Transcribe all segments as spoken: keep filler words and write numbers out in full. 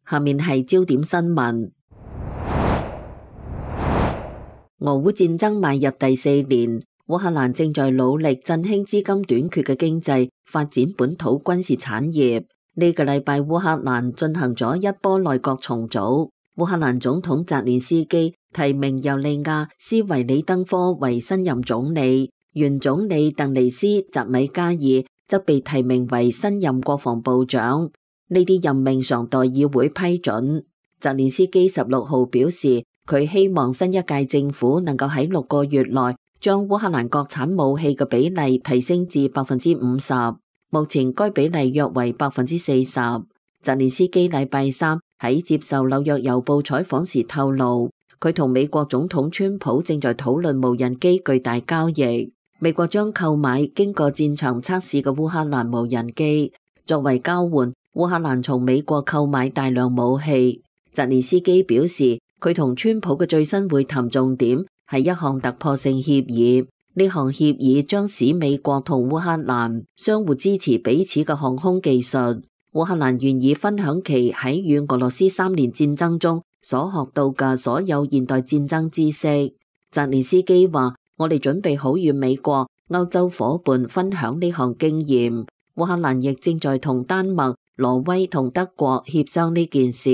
下面係焦點新聞。俄烏戰爭邁入第四年，烏克蘭正在努力振興資金短缺嘅經濟，發展本土軍事產業。呢個禮拜，烏克蘭進行咗一波內閣重組。烏克蘭總統澤連斯基提名尤利亞斯維里登科為新任總理，原總理鄧尼斯澤米加爾則被提名為新任國防部長。呢啲任命尚待議會批准。澤連斯基十六號表示，佢希望新一屆政府能夠喺六個月內將烏克蘭國產武器嘅比例提升至百分之五十，目前該比例約為百分之四十。澤連斯基禮拜三喺接受紐約郵報採訪時透露，佢同美國總統川普正在討論無人機巨大交易，美國將購買經過戰場測試嘅烏克蘭無人機，作為交換，烏克蘭從美國購買大量武器。澤連斯基表示，佢同川普嘅最新會談重點係一項突破性協議，呢項協議將使美國同烏克蘭相互支持彼此嘅航空技術。烏克蘭願意分享其喺與俄羅斯三年戰爭中所學到嘅所有現代戰爭知識。澤連斯基話：我哋準備好與美國、歐洲夥伴分享呢項經驗。烏克蘭亦正在同丹麥、挪威同德國協商呢件事。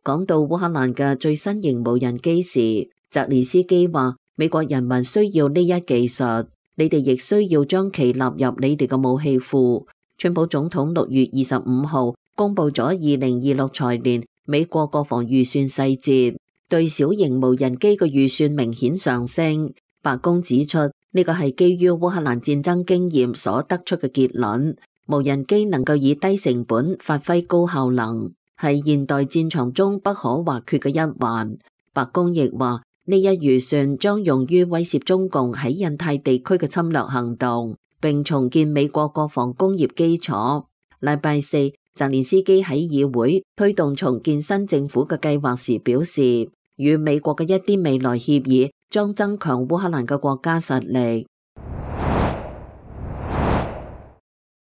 講到烏克蘭嘅最新型無人機時，澤連斯基話：美國人民需要呢一技術，你哋亦需要將其納入你哋嘅武器庫。川普總統六月二十五號公布咗二零二六財年美國國防預算細節，對小型無人機嘅預算明顯上升。白宮指出，呢個係基於烏克蘭戰爭經驗所得出嘅結論，無人機能夠以低成本發揮高效能，係現代戰場中不可或缺嘅一環。白宮亦話，呢一預算將用於威懾中共喺印太地區嘅侵略行動，並重建美國國防工業基礎。禮拜四，澤連斯基喺議會推動重建新政府嘅計劃時表示，與美國嘅一啲未來協議將增強烏克蘭嘅國家實力。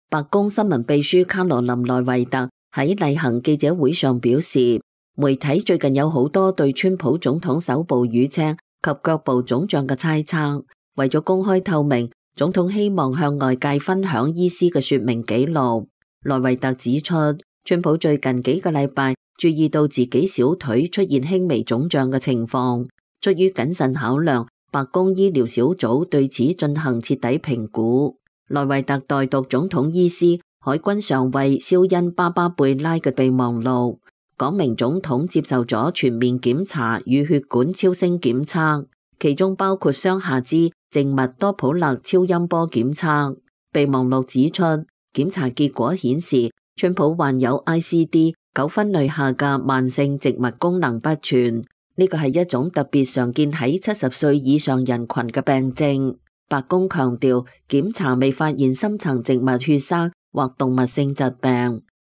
白宮新聞秘書卡羅琳內維特喺例行記者會上表示，媒體最近有好多對川普總統手部瘀青及腳部腫脹嘅猜測，為咗公開透明，總統希望向外界分享醫師嘅說明記錄。內維特指出，川普最近幾個禮拜注意到自己小腿出現輕微腫脹嘅情況，出於謹慎考量，白宮醫療小組對此進行徹底評估。內維特代讀總統醫師海軍上尉肖恩巴巴貝拉嘅備忘錄，講明總統接受咗全面檢查與血管超聲檢測，其中包括雙下肢靜脈多普勒超音波檢測。備忘錄指出，檢查結果顯示川普患有 I C D 九分類下嘅慢性靜脈功能不全，呢個係一種特別常見喺七十歲以上人群嘅病症。白宮強調，檢查未發現深層靜脈血栓或動脈性疾病，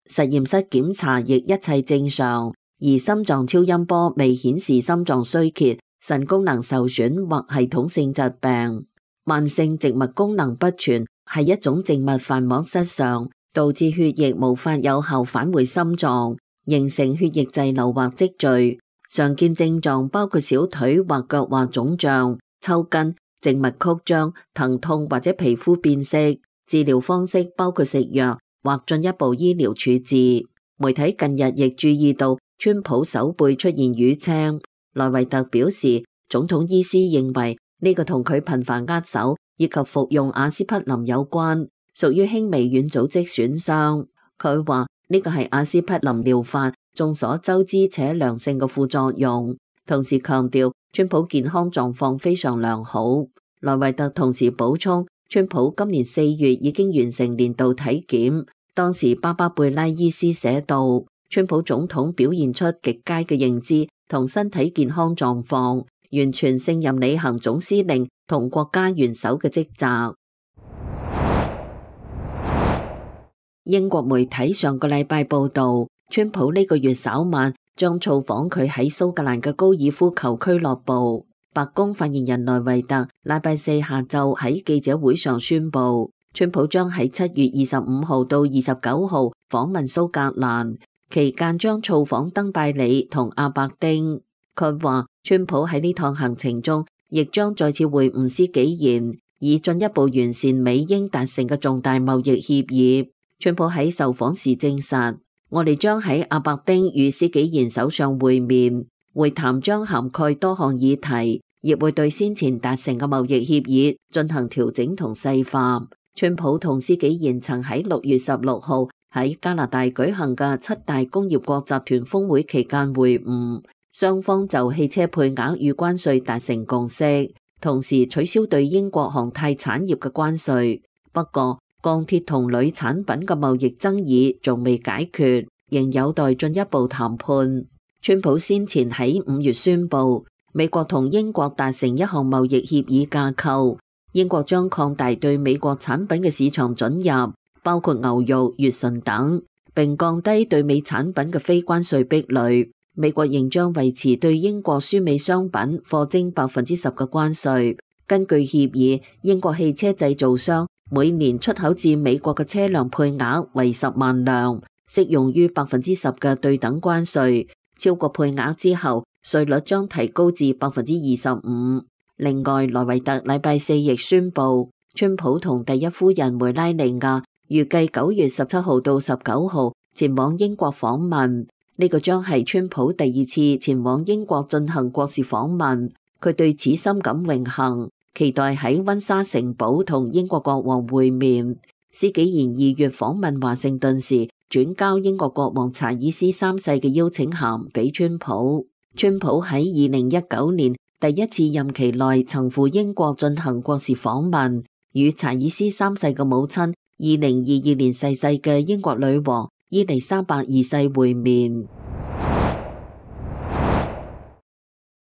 實驗室檢查亦一切正常，而心臟超音波未顯示心臟衰竭、腎功能受損或系統性疾病。慢性靜脈功能不全係一種靜脈瓣膜失常，導致血液無法有效返回心臟，形成血液滯留或積聚。常見症狀包括小腿或腳或腫脹、抽筋、靜脈曲張、疼痛或者皮膚變色。治療方式包括食藥或進一步醫療處置。媒體近日亦注意到川普手背出現瘀青。內維特表示，總統醫師認為呢個同佢頻繁握手以及服用阿司匹林有關，屬於輕微軟組織損傷。佢話呢個係阿司匹林療法眾所周知且良性嘅副作用，同時強調川普健康狀況非常良好。內維特同時補充，川普今年四月已經完成年度體檢，當時巴巴貝拉醫師寫道，川普總統表現出極佳嘅認知同身體健康狀況，完全勝任履行總司令同國家元首嘅職責。英國媒體上個禮拜報道，川普呢個月稍晚將造訪佢喺蘇格蘭嘅高爾夫球俱樂部。白宮發言人內維特禮拜四下晝喺記者會上宣布，川普將喺七月二十五號到二十九號訪問蘇格蘭，期間將造訪登拜里同阿伯丁。佢話，川普喺呢趟行程中，亦將再次會晤施紀賢，以進一步完善美英達成嘅重大貿易協議。川普喺受訪時證實，我哋將喺阿伯丁與施紀賢首相會面，會談將涵蓋多項議題，亦會對先前達成嘅貿易協議進行調整同細化。川普同施紀賢曾喺六月十六號喺加拿大舉行嘅七大工業國集團峰會期間會晤，雙方就汽車配額與關稅達成共識，同時取消對英國航太產業嘅關稅。不過，鋼鐵同鋁產品嘅貿易爭議仲未解決，仍有待進一步談判。川普先前喺五月宣布，美國同英國達成一項貿易協議架構，英國將擴大對美國產品嘅市場准入，包括牛肉、乙醇等，並降低對美產品嘅非關稅壁壘。美國仍將維持對英國輸美商品課徵百分之十嘅關稅。根據協議，英國汽車製造商每年出口至美國嘅車輛配額為十萬輛，適用於百分之十嘅對等關稅。超過配額之後，稅率將提高至百分之二十五。另外，萊維特禮拜四亦宣布，川普同第一夫人梅拉尼亞預計九月十七號到十九號前往英國訪問。呢個將係川普第二次前往英國進行國事訪問，佢對此深感榮幸，期待喺溫莎城堡同英國國王會面。施紀賢二月訪問華盛頓時，轉交英國國王查爾斯三世嘅邀請函俾川普。川普喺二零一九年第一次任期內曾赴英國進行國事訪問，與查爾斯三世嘅母親二零二二年逝世嘅英國女王伊麗莎白二世會面。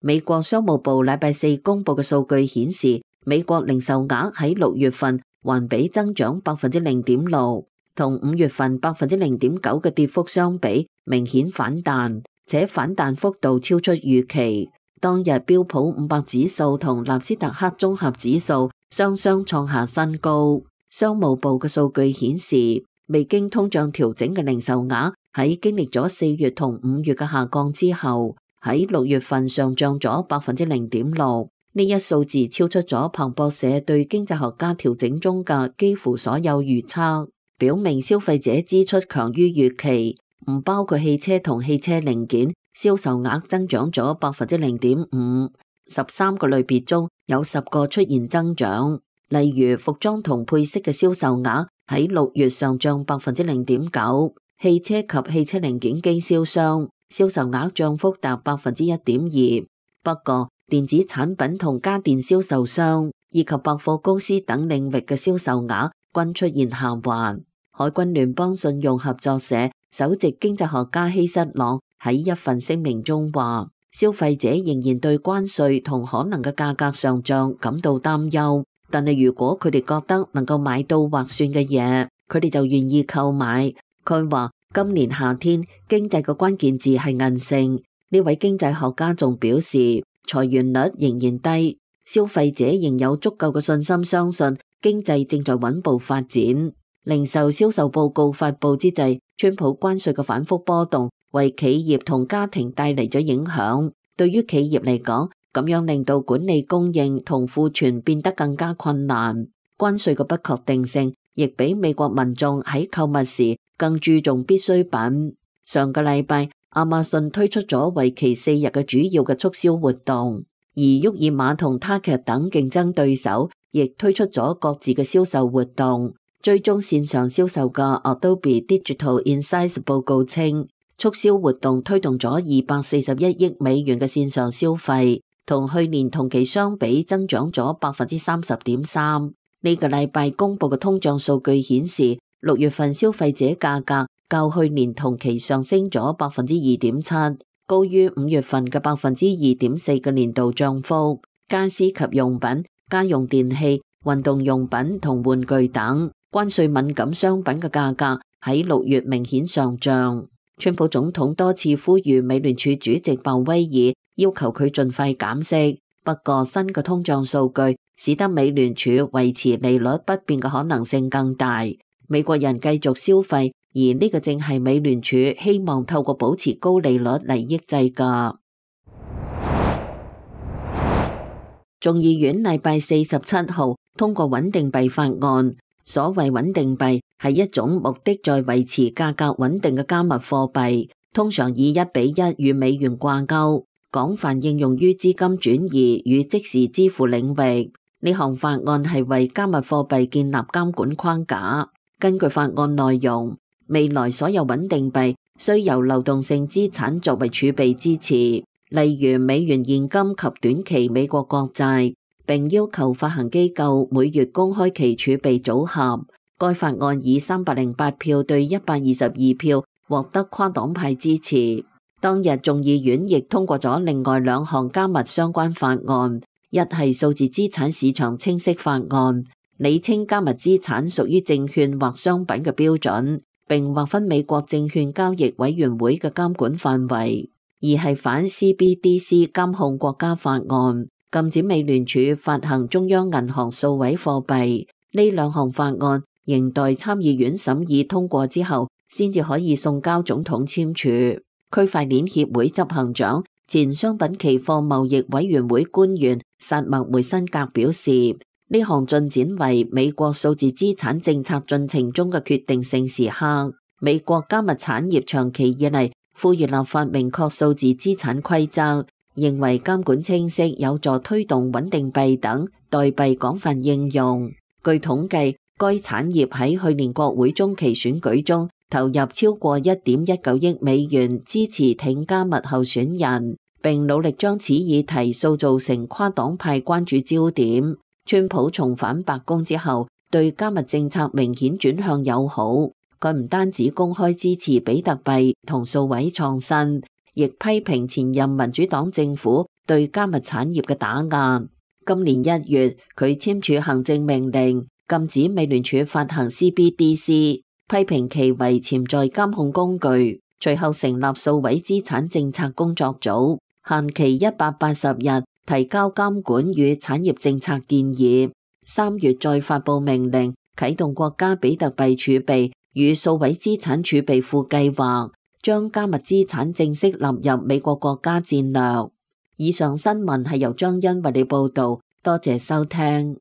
美國商務部禮拜四公布嘅數據顯示，美國零售額喺六月份環比增長百分之零點六，同五月份百分之零點九嘅跌幅相比，明顯反彈，且反彈幅度超出預期。當日標普五百指數同納斯達克綜合指數雙雙創下新高。商務部嘅數據顯示，未經通脹調整嘅零售額喺經歷咗四月同五月嘅下降之後，喺六月份上漲咗百分之零點六。呢一數字超出咗彭博社對經濟學家調整中嘅幾乎所有預測，表明消費者支出強於預期，唔包括汽車同汽車零件，銷售額增長咗百分之零點五。十三個類別中有十個出現增長，例如服裝同配飾嘅銷售額喺六月上漲百分之零點九，汽車及汽車零件經銷商銷售額漲幅達百分之一點二。不過，電子產品同家電銷售商以及百貨公司等領域嘅銷售額均出現下滑。海軍聯邦信用合作社首席經濟學家希瑟朗喺一份聲明中話，消費者仍然對關稅同可能嘅價格上漲感到擔憂，但係如果佢哋覺得能夠買到劃算嘅嘢，佢哋就願意購買。佢話今年夏天經濟嘅關鍵字係韌性。呢位經濟學家仲表示，裁員率仍然低，消費者仍有足夠嘅信心相信經濟正在穩步發展。零售銷售報告發佈之際，川普關稅嘅反覆波動為企業同家庭帶嚟咗影響。對於企業嚟講，咁樣令到管理供應同庫存變得更加困難。關稅嘅不確定性亦比美國民眾喺購物時更注重必需品。上個禮拜，亞馬遜推出咗為期四日嘅主要嘅促銷活動，而沃爾瑪同 Target 等競爭對手亦推出咗各自嘅銷售活動。追蹤線上銷售嘅 Adobe Digital Insights 報告稱，促銷活動推動咗二百四十一億美元嘅線上消費，同去年同期相比增長咗百分之三十點三。呢個禮拜公布嘅通脹數據顯示，六月份消費者價格較去年同期上升咗百分之二點七，高於五月份嘅百分之二點四嘅年度漲幅。家私及用品、家用電器、運動用品同玩具等關稅敏感商品嘅價格喺六月明顯上漲。川普總統多次呼籲美聯儲主席鮑威爾要求佢盡快減息，不過新嘅通脹數據使得美聯儲維持利率不變嘅可能性更大。美國人繼續消費，而呢個正係美聯儲希望透過保持高利率嚟抑制㗎。眾議院禮拜四十七號通過穩定幣法案。所謂穩定幣係一種目的在維持價格穩定嘅加密貨幣，通常以一比一與美元掛鈎，廣泛應用於資金轉移與即時支付領域。呢項法案係為加密貨幣建立監管框架。根據法案內容，未來所有穩定幣需由流動性資產作為儲備支持，例如美元現金及短期美國國債，並要求發行機構每月公開其儲備組合。該法案以三百零八票對一百二十二票獲得跨黨派支持。當日眾議院亦通過咗另外兩項加密相關法案，一係數字資產市場清晰法案，釐清加密資產屬於證券或商品嘅標準，並劃分美國證券交易委員會嘅監管範圍；二係反 C B D C 監控國家法案，禁止美聯儲發行中央銀行數位貨幣。呢兩項法案仍待參議院審議通過之後，先至可以送交總統簽署。區塊鏈協會執行長、前商品期貨貿易委員會官員薩默梅辛格表示，呢項進展為美國數字資產政策進程中嘅決定性時刻。美國加密產業長期以嚟呼籲立法明確數字資產規則，認為監管清晰有助推動穩定幣等代幣廣泛應用。據統計，該產業喺去年國會中期選舉中投入超過一點一九億美元支持挺加密候選人，並努力將此議題塑造成跨黨派關注焦點。川普重返白宮之後，對加密政策明顯轉向友好。佢唔單止公開支持比特幣同數位創新，亦批評前任民主黨政府對加密產業嘅打壓。今年一月，佢簽署行政命令，禁止美聯儲發行 C B D C， 批評其為潛在監控工具。隨後成立數位資產政策工作組，限期一百八十日提交監管與產業政策建議。三月再發佈命令，啟動國家比特幣儲備與數位資產儲備庫計劃，將加密資產正式納入美國國家戰略。以上新聞係由張欣為你報道，多謝收聽。